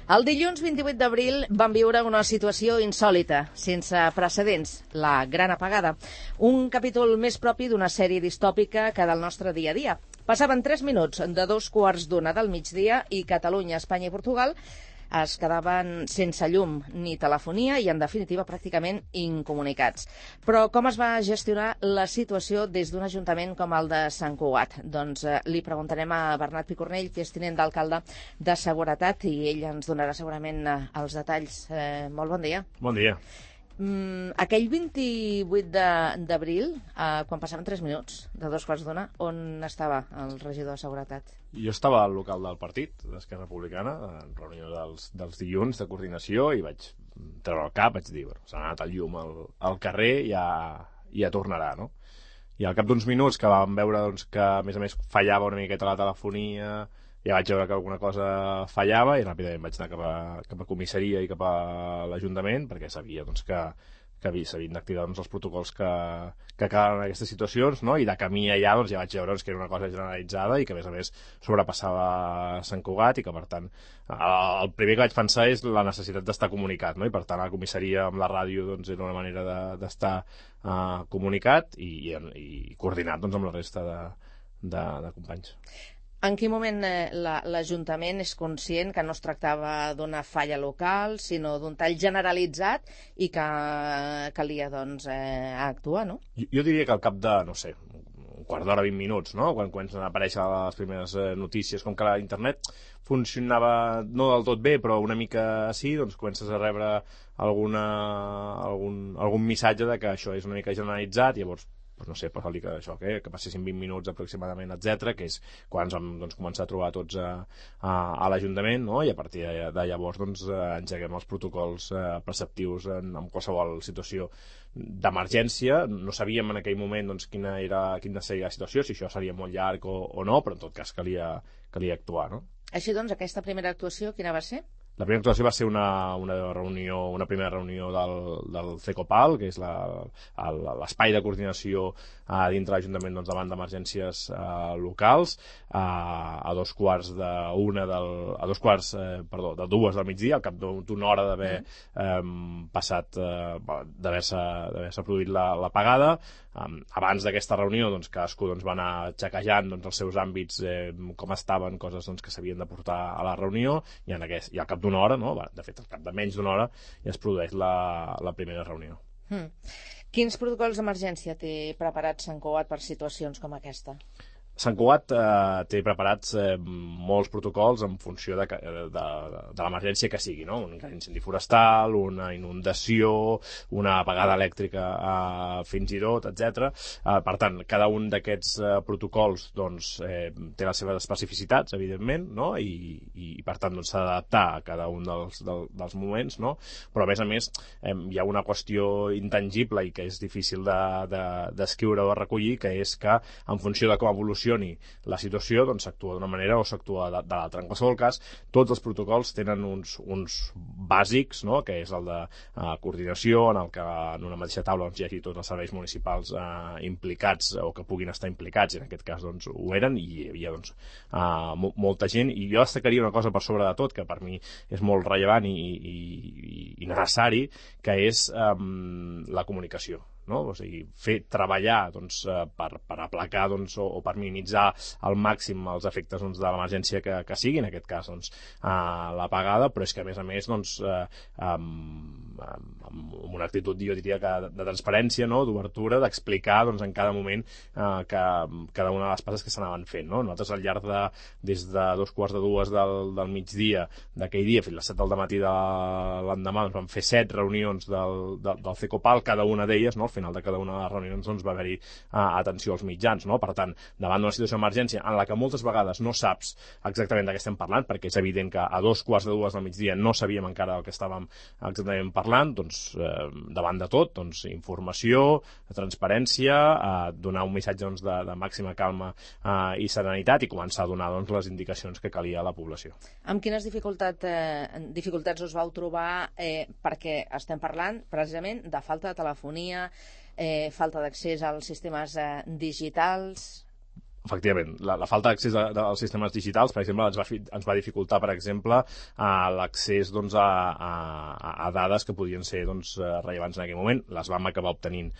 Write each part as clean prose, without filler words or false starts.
El dilluns 28 d'abril vam viure una situació insòlita, sense precedents, la Gran Apagada. Un capítol més propi d'una sèrie distòpica que del nostre dia a dia. Passaven 3 minuts de 2:15 del migdia i Catalunya, Espanya i Portugal es quedaven sense llum ni telefonia i, en definitiva, pràcticament incomunicats. Però com es va gestionar la situació des d'un ajuntament com el de Sant Cugat? Doncs li preguntarem a Bernat Picornell, que és tinent d'alcalde de Seguretat, i ell ens donarà segurament els detalls. Molt bon dia. Bon dia. Aquell 28 d'abril, quan passaven 3 minuts de 2:15, on estava el regidor de Seguretat? Jo estava al local del partit, d'Esquerra Republicana, en reunió dels dilluns de coordinació, i vaig treure el cap, vaig dir, s'ha anat el llum al carrer i ja tornarà, no? I al cap d'uns minuts que vam veure que, a més, fallava una miqueta la telefonia, ja vaig veure que alguna cosa fallava i ràpidament vaig anar cap a comissaria i cap a l'Ajuntament, perquè sabia que s'havien d'activar els protocols que calen en aquestes situacions, no? I de camí allà ja vaig veure que era una cosa generalitzada i que, a més, sobrepassava Sant Cugat, i que, per tant, el primer que vaig pensar és la necessitat d'estar comunicat, no? I, per tant, a la comissaria amb la ràdio era una manera d'estar comunicat i coordinat amb la resta de companys. En quin moment l'Ajuntament és conscient que no es tractava d'una falla local, sinó d'un tall generalitzat i que calia, actuar, no? Jo diria que al cap de, no sé, un quart d'hora, 20 minuts, no? Quan comencen a aparèixer les primeres notícies, com que l'internet funcionava no del tot bé, però una mica sí, doncs comences a rebre algun missatge de que això és una mica generalitzat, i llavors no sé, passar-li que passessin 20 minuts aproximadament, etc., que és quan ens vam començar a trobar tots a l'Ajuntament, no? I a partir de llavors engeguem els protocols preceptius en qualsevol situació d'emergència. No sabíem en aquell moment quina seria la situació, si això seria molt llarg o no, però en tot cas calia actuar, no? Així doncs, aquesta primera actuació, quina va ser? La primera actuació va ser una primera reunió del CECOPAL, que és l'espai de coordinació dintre l'Ajuntament davant d'emergències locals, a 2:15 del migdia, al cap d'una hora d'haver passat, d'haver-se produït l'apagada. Abans d'aquesta reunió, cadascú va anar xequejant els seus àmbits, com estaven, coses que s'havien de portar a la reunió, i al cap d'una hora, no? De fet, al cap de menys d'una hora ja es produeix la primera reunió. Quins protocols d'emergència té preparats Sant Cugat per situacions com aquesta? Sant Cugat té preparats molts protocols en funció de l'emergència que sigui, no? Un incendi forestal, una inundació, una apagada elèctrica fins i tot, etc. Per tant, cada un d'aquests protocols té les seves especificitats, evidentment, no? I per tant s'ha d'adaptar a cada un dels moments, no? Però a més hi ha una qüestió intangible i que és difícil d'escriure o de recollir, que és que en funció de com evolucioni la situació, s'actua d'una manera o s'actua de l'altra. En qualsevol cas, tots els protocols tenen uns bàsics, no? Que és el de coordinació, en el que en una mateixa taula hi hagi tots els serveis municipals implicats o que puguin estar implicats, i en aquest cas ho eren, i hi havia molta gent. I jo destacaria una cosa per sobre de tot, que per mi és molt rellevant i necessari, que és la comunicació, no? O sigui, treballar per aplacar o per minimitzar al màxim els efectes de l'emergència que sigui, en aquest cas l'apagada, però és que a més amb una actitud, jo diria, de transparència, no? D'obertura, d'explicar en cada moment cada una de les passes que s'anaven fent, no? Nosaltres al llarg des de 2:15 del migdia d'aquell dia fins a les 7 del matí de l'endemà vam fer 7 reunions del CECOPAL, cada una d'elles, no? Al final de cada una de les reunions va haver-hi atenció als mitjans, no? Per tant, davant d'una situació d'emergència en la que moltes vegades no saps exactament de què estem parlant, perquè és evident que a 2:15 del migdia no sabíem encara del que estàvem exactament parlant, davant de tot, informació, transparència, donar un missatge de màxima calma i serenitat, i començar a donar les indicacions que calia a la població. Amb quines dificultats us vau trobar, perquè estem parlant precisament de falta de telefonia, falta d'accés als sistemes digitals? Efectivament, la falta d'accés als sistemes digitals, per exemple, ens va dificultar, per exemple, l'accés doncs, a dades que podien ser doncs, rellevants en aquell moment. Les vam acabar obtenint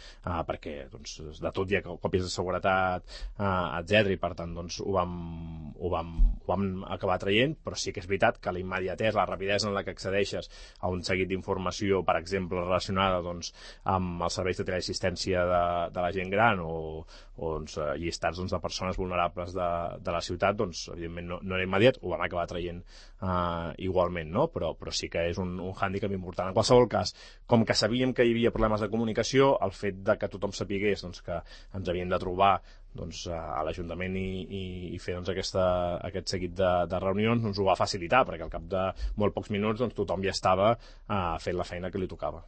perquè doncs, de tot hi ha còpies de seguretat, etc. I per tant doncs, ho vam acabar traient, però sí que és veritat que la immediatesa, la rapidesa en la que accedeixes a un seguit d'informació, per exemple, relacionada doncs, amb els serveis de teleassistència de la gent gran o doncs, llistats doncs, de persones vulnerables de la ciutat, doncs, evidentment no era immediat, ho vam acabar traient igualment, no? Però sí que és un hàndicap important. En qualsevol cas, com que sabíem que hi havia problemes de comunicació, el fet de que tothom sapigués doncs, que ens havien de trobar doncs, a l'Ajuntament i fer doncs, aquest seguit de reunions doncs, ho va facilitar, perquè al cap de molt pocs minuts doncs, tothom ja estava fent la feina que li tocava.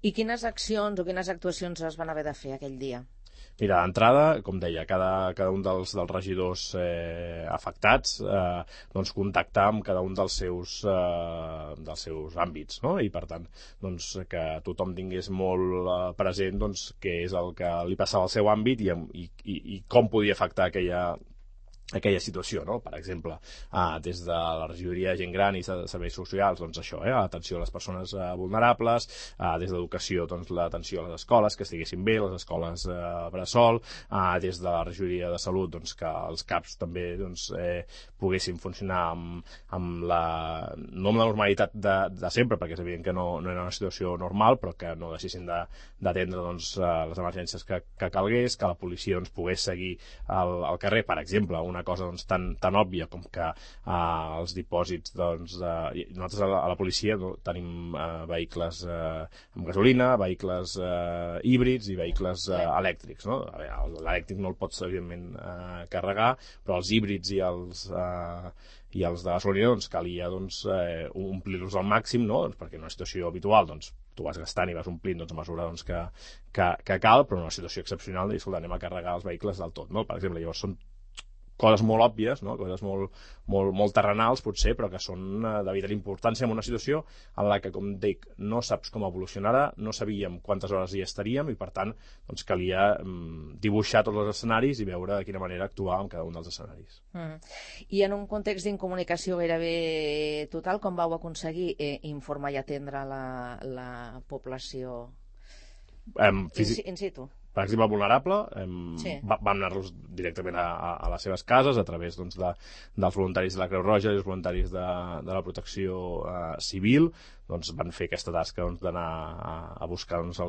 I quines accions o quines actuacions es van haver de fer aquell dia? Mira, d'entrada, com deia, cada un dels regidors afectats doncs contactar amb cada un dels seus àmbits, no? I per tant doncs, que tothom tingués molt present doncs, què és el que li passava al seu àmbit i com podia afectar aquella situació, no? Per exemple, des de la regidoria de gent gran i serveis socials, doncs això, l'atenció a les persones vulnerables, des d'educació, doncs l'atenció a les escoles, que estiguessin bé, les escoles bressol, des de la regidoria de salut, doncs que els CAPs també doncs, poguessin funcionar no amb la normalitat de sempre, perquè és evident que no era una situació normal, però que no deixessin d'atendre doncs, les emergències que calgués, que la policia doncs, pogués seguir al carrer, per exemple, una cosa doncs, tan òbvia com que els dipòsits doncs, nosaltres a la policia tenim vehicles amb gasolina, vehicles híbrids i vehicles elèctrics, no? L'elèctric no el pots evidentment carregar, però els híbrids i els de gasolina doncs, calia doncs, omplir-los al màxim, no? Doncs, perquè en una situació habitual doncs, tu vas gastant i vas omplint doncs, a mesura doncs, que cal, però en una situació excepcional i anem a carregar els vehicles del tot, no? Per exemple, llavors són coses molt òbvies, no? Coses molt terrenals potser, però que són de vital importància en una situació en la que, com dic, no saps com evolucionarà, no sabíem quantes hores hi estaríem i per tant doncs, calia dibuixar tots els escenaris i veure de quina manera actuar en cada un dels escenaris. I en un context d'incomunicació gairebé total, com vau aconseguir informar i atendre la població in situ? Per exemple, vulnerable, sí. Vam anar-los directament a les seves cases a través doncs, dels voluntaris de la Creu Roja i els voluntaris de la protecció civil. Doncs van fer aquesta tasca doncs, d'anar a buscar doncs,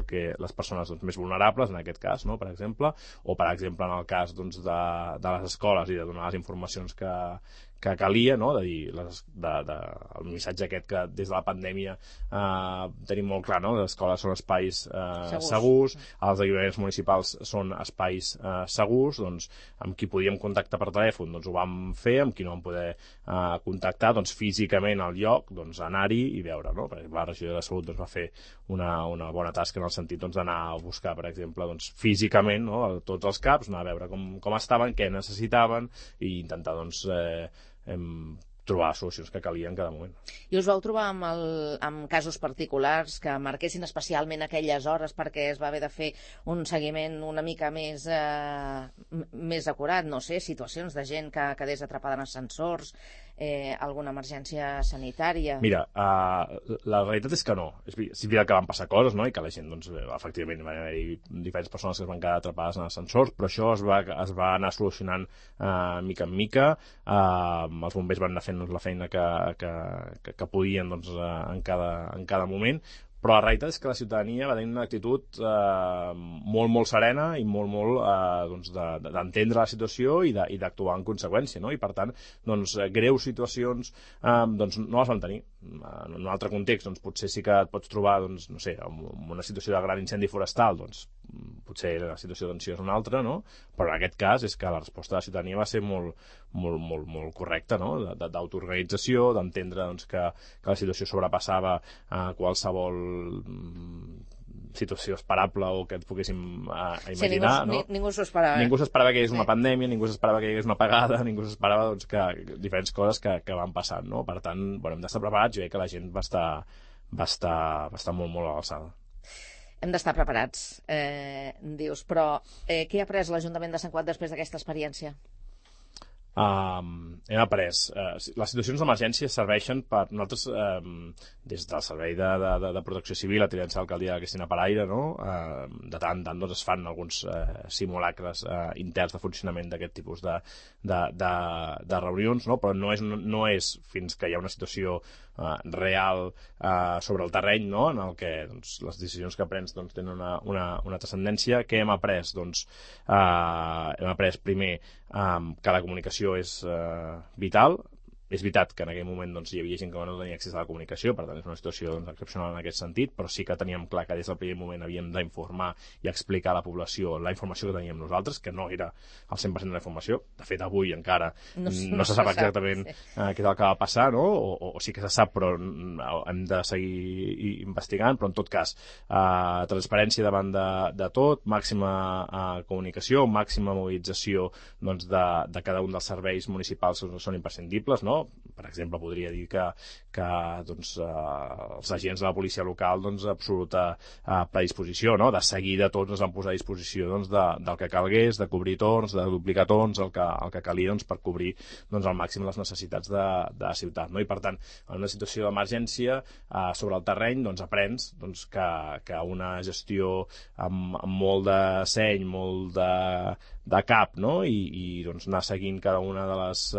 les persones doncs, més vulnerables, en aquest cas, no? Per exemple, o per exemple en el cas doncs, de les escoles i de donar les informacions que calia, no? De dir, el missatge aquest que des de la pandèmia tenim molt clar, no? Les escoles són espais segurs, els equipaments municipals són espais segurs, doncs amb qui podíem contactar per telèfon doncs ho vam fer, amb qui no vam poder contactar doncs físicament al lloc, doncs anar-hi i veure, no? Per exemple, la regió de salut doncs, va fer una bona tasca en el sentit doncs, d'anar a buscar, per exemple, doncs, físicament, no? Tots els CAPs, anar a veure com estaven, què necessitaven i intentar doncs, trobar solucions que calia en cada moment. I us vau trobar amb casos particulars que marquessin especialment aquelles hores perquè es va haver de fer un seguiment una mica més acurat, no sé, situacions de gent que quedés atrapada en ascensors, alguna emergència sanitària? Mira, la realitat és que no. És veritat que van passar coses, no? I que la gent, doncs, efectivament, van haver-hi diferents persones que es van quedar atrapades en ascensors, però això es va anar solucionant mica en mica. Els bombers van anar fent la feina que podien doncs, en cada moment, però la realitat és que la ciutadania va tenir una actitud molt serena i molt doncs, d'entendre la situació i d'actuar en conseqüència, no? I per tant, doncs, greus situacions doncs, no les van tenir. En un altre context, doncs, potser sí que et pots trobar doncs, no sé, en una situació de gran incendi forestal, doncs, potser la situació de tensió és una altra, no? Però en aquest cas és que la resposta de la ciutadania va ser molt correcta, no? D'autoorganització, d'entendre doncs, que la situació sobrepassava qualsevol situació esperable o que ens poguéssim imaginar. Sí, ningú s'ho esperava. Ningú s'esperava que hi hagués una pandèmia, ningú s'esperava que hi hagués una apagada, ningú s'esperava doncs, que diferents coses que van passant, no? Per tant, bueno, hem d'estar preparats. Jo crec que la gent va estar molt a l'alçada. Hem d'estar preparats, dius, però què ha après l'Ajuntament de Sant Cugat després d'aquesta experiència? Hem après. Les situacions d'emergència serveixen per nosaltres, des del Servei de Protecció Civil, la Tinença d'Alcaldia de Cristina Paraire, no? De tant en tant es fan alguns simulacres interns de funcionament d'aquest tipus de reunions, no? Però no és fins que hi ha una situació real sobre el terreny, no? En el que les decisions que prens tenen una transcendència. Què hem après? Hem après primer que la comunicació és vital. És veritat que en aquell moment hi havia gent que no tenia accés a la comunicació, per tant és una situació excepcional en aquest sentit, però sí que teníem clar que des del primer moment havíem d'informar i explicar a la població la informació que teníem nosaltres, que no era el 100% de la informació. De fet, avui encara no se sap exactament què és el que va passar, no? O sí que se sap, però hem de seguir investigant. Però en tot cas, transparència davant de tot, màxima comunicació, màxima mobilització de cada un dels serveis municipals que són imprescindibles, no? Per exemple, podria dir que els agents de la policia local, absoluta predisposició, no? De seguida tots ens van posar a disposició del que calgués, de cobrir torns, de duplicar torns, el que calia per cobrir al màxim les necessitats de la ciutat, no? I per tant, en una situació d'emergència sobre el terreny aprens que una gestió amb molt de seny, molt de cap, no? I anar seguint cada una de les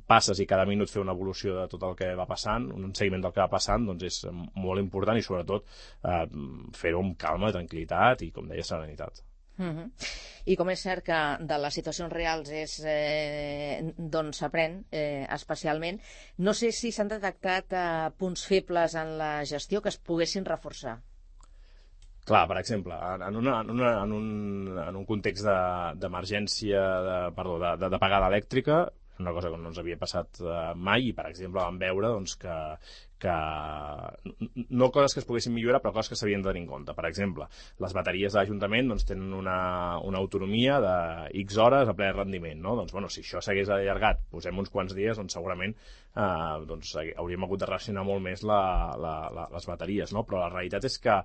passes i cada minut fer una evolució de tot el que va passant, un seguiment del que va passant, és molt important, i sobretot fer-ho amb calma, tranquil·litat i, com deia, serenitat. I com és cert que de les situacions reals és d'on s'aprèn especialment, no sé si s'han detectat punts febles en la gestió que es poguessin reforçar. Clar, per exemple, en un context d'emergència, d'apagada elèctrica, una cosa que no ens havia passat mai, i per exemple vam veure que no coses que es poguessin millorar, però coses que s'havien de tenir en compte. Per exemple, les bateries de l'Ajuntament tenen una autonomia de X hores a ple rendiment, no? Si això s'hagués allargat, posem uns quants dies, segurament hauríem hagut de racionar molt més les bateries, no? Però la realitat és que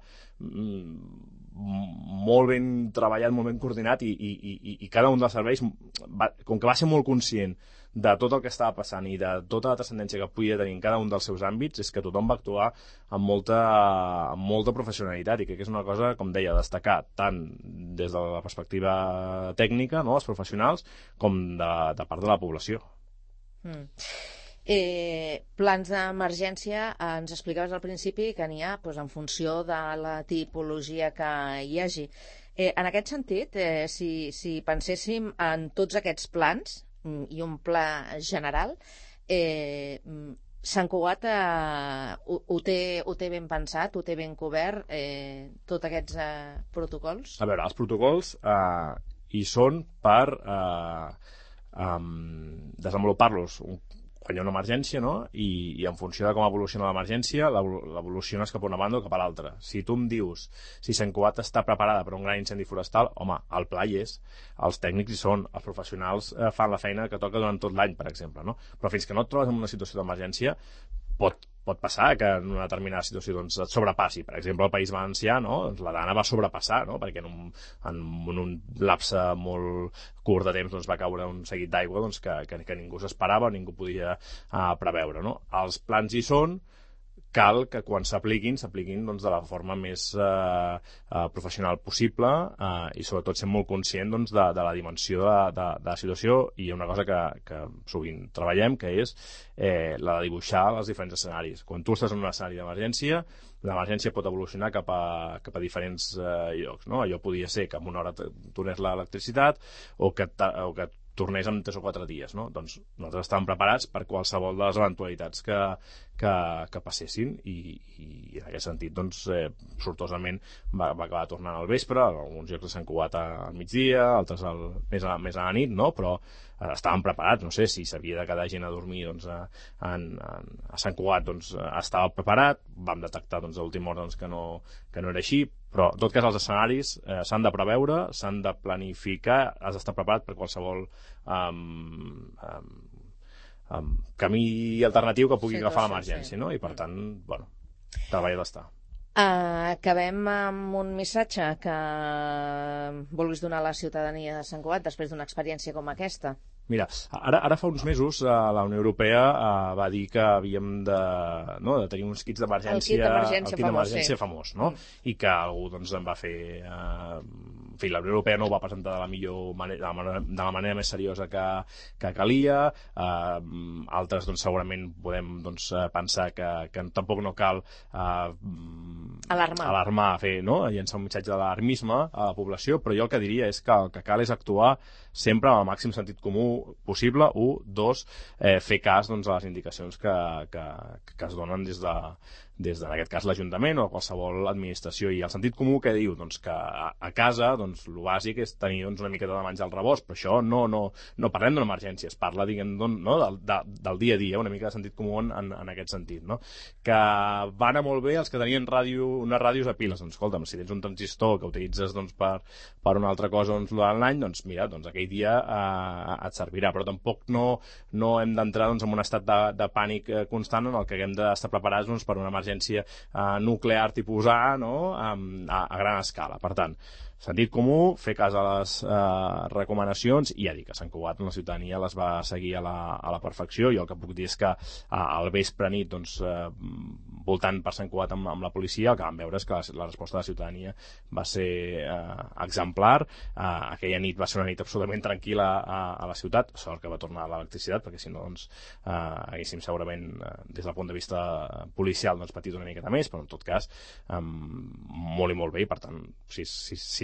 molt ben treballat, molt ben coordinat, i cada un dels serveis, com que va ser molt conscient de tot el que estava passant i de tota la transcendència que podia tenir en cada un dels seus àmbits, és que tothom va actuar amb molta professionalitat, i crec que és una cosa, com deia, a destacar tant des de la perspectiva tècnica, no?, els professionals, com de part de la població. Plans d'emergència, ens explicaves al principi que n'hi ha en funció de la tipologia que hi hagi. En aquest sentit, si penséssim en tots aquests plans i un pla general, Sant Cugat ho té ben pensat, ho té ben cobert, tots aquests protocols? A veure, els protocols hi són per desenvolupar-los quan hi ha una emergència, no? I en funció de com evoluciona l'emergència, l'evoluciones cap a una banda o cap a l'altra. Si tu em dius si Sant Cugat està preparada per un gran incendi forestal, home, el pla hi és, els tècnics hi són, els professionals fan la feina que toca durant tot l'any, per exemple, no? Però fins que no et trobes en una situació d'emergència, pot passar que en una determinada situació et sobrepassi. Per exemple, el País Valencià, no? La Dana va sobrepassar, no? Perquè en un lapse molt curt de temps va caure un seguit d'aigua que ningú s'esperava, ningú podia preveure, no? Els plans hi són, cal que quan s'apliquin de la forma més professional possible, i sobretot ser molt conscient de la dimensió de la situació. I hi ha una cosa que sovint treballem, que és la de dibuixar els diferents escenaris. Quan tu estàs en un escenari d'emergència, l'emergència pot evolucionar cap a diferents llocs, no? Allò podia ser que en una hora tornés l'electricitat, o que tornés en 3 o 4 dies, no? Doncs nosaltres estàvem preparats per qualsevol de les eventualitats que passessin, i en aquest sentit sortosament va acabar tornant al vespre, alguns llocs de Sant Cugat al migdia, altres més a la nit, no? Però estàvem preparats. No sé si s'havia de quedar gent a dormir a Sant Cugat, estava preparat, vam detectar a última hora que no era així, però en tot cas els escenaris s'han de preveure, s'han de planificar, has d'estar preparat per qualsevol camí alternatiu que pugui agafar l'emergència, no? I per tant, treballar d'estar. Acabem amb un missatge que vulguis donar a la ciutadania de Sant Cugat després d'una experiència com aquesta. Mira, ara fa uns mesos la Unió Europea va dir que havíem de tenir uns kits d'emergència, el kit d'emergència famós, no? I que algú doncs, en va fer... En fi, la Unió Europea no ho va presentar de la millor manera, de la manera més seriosa que calia. Altres, doncs, segurament podem pensar que tampoc no cal alarmar, llençar un missatge d'alarmisme a la població, però jo el que diria és que el que cal és actuar sempre amb el màxim sentit comú possible. 1, 2, fer cas a les indicacions que es donen des en aquest cas l'Ajuntament o qualsevol administració, i el sentit comú que diu que a casa el bàsic és tenir una miqueta de menjar al rebost, però això no parlem d'una emergència, es parla del dia a dia, una mica de sentit comú en aquest sentit, no? Que va anar molt bé els que tenien unes ràdios a piles. Escolta'm, si tens un transistor que utilitzes per una altra cosa durant l'any, mira, aquell dia et servirà, però tampoc no hem d'entrar en un estat de pànic constant en el que haguem d'estar preparats per una emergència nuclear tipus A, a gran escala. Per tant, sentit comú, fer cas a les recomanacions, i ja dic que Sant Cugat la ciutadania les va seguir a la perfecció. Jo el que puc dir és que al vespre nit voltant per Sant Cugat amb la policia, el que vam veure és que la resposta de la ciutadania va ser exemplar. Aquella nit va ser una nit absolutament tranquil·la a la ciutat, sort que va tornar l'electricitat, perquè si no haguéssim segurament des del punt de vista policial patit una miqueta més, però en tot cas molt i molt bé. I per tant, si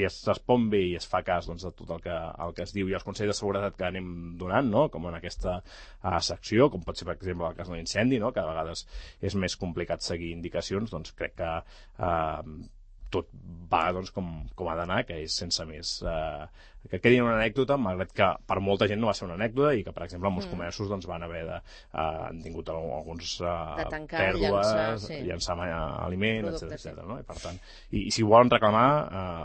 es respon bé i es fa cas de tot el que es diu i els consells de seguretat que anem donant, com en aquesta secció, com pot ser per exemple el cas de l'incendi, que a vegades és més complicat seguir indicacions, crec que tot va com ha d'anar, que és sense més que quedi una anècdota, malgrat que per molta gent no va ser una anècdota, i que per exemple molts comerços van haver han tingut alguns pèrdues, llançar aliment, etc. No? I per tant, i si volen reclamar,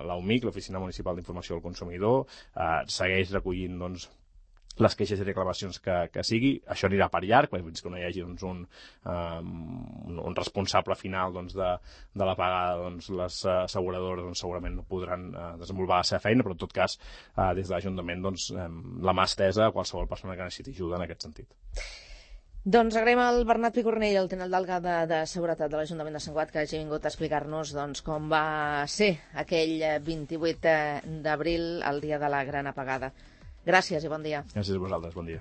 l'OMIC, l'Oficina Municipal d'Informació del Consumidor, segueix recollint les queixes i reclamacions que sigui. Això anirà per llarg, fins que no hi hagi un responsable final de la pagada. Les asseguradores segurament no podran desenvolupar la seva feina, però en tot cas des de l'Ajuntament la mà estesa a qualsevol persona que necessiti ajuda en aquest sentit. Doncs agraïm al Bernat Picornell, el tinent d'alcalde de Seguretat de l'Ajuntament de Sant Cugat, que hagi vingut a explicar-nos com va ser aquell 28 d'abril, el dia de la gran apagada. Gràcies i bon dia. Gràcies a vosaltres, bon dia.